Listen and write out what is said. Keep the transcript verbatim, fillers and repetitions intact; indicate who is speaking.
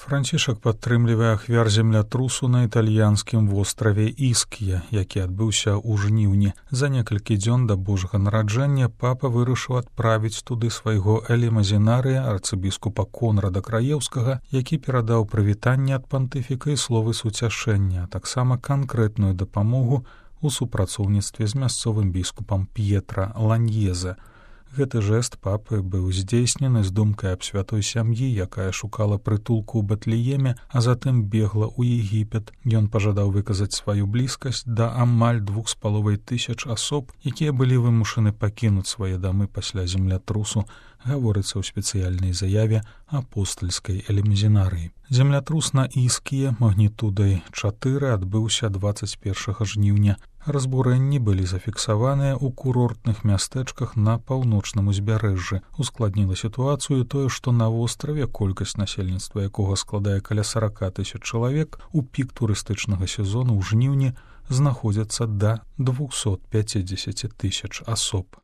Speaker 1: Францішак падтрымлівае ахвяр землятрусу на італьянскім востраве Іскія, які адбыўся ў жніўні. За некалькі дзён да Божага нараджэння папа вырашыў адправіць туды свайго элемазінарыя арцыбіскупа Конрада Краеўскага, які перадаў прывітанне ад пантыфіка і словы суцяшэння, а таксама канкрэтную дапамогу у супрацоўніцтве з мясцовым біскупам П'етра Ланьезе. Гэты жэст папы быў здзейснены з думкай аб святой сям'і, якая шукала прытулку ў Бэтлееме, а затым бегла ў Егіпет. Ён пажадаў выказаць сваю блізкасць да амаль двух з паловай тысяч асоб, якія былі вымушаны пакінуць свае дамы пасля землятрусу, гаворыцца ў спецыяльнай заяве апостальскай элемазінарыі. Землятрус на Іскіе магнітудай чатыры адбыўся дваццаць першага жніўня. Разбурэнні былі зафіксаваныя ў курортных мястэчках на паўночным узбярэжжы. Ускладніла сітуацыю тое, што на востраве колькасць насельніцтва якога складае каля сорок тысяч чалавек, у пік турыстычнага сезону ў жніўні знаходзяцца да двухсот пяцідзесяці тысяч асоб.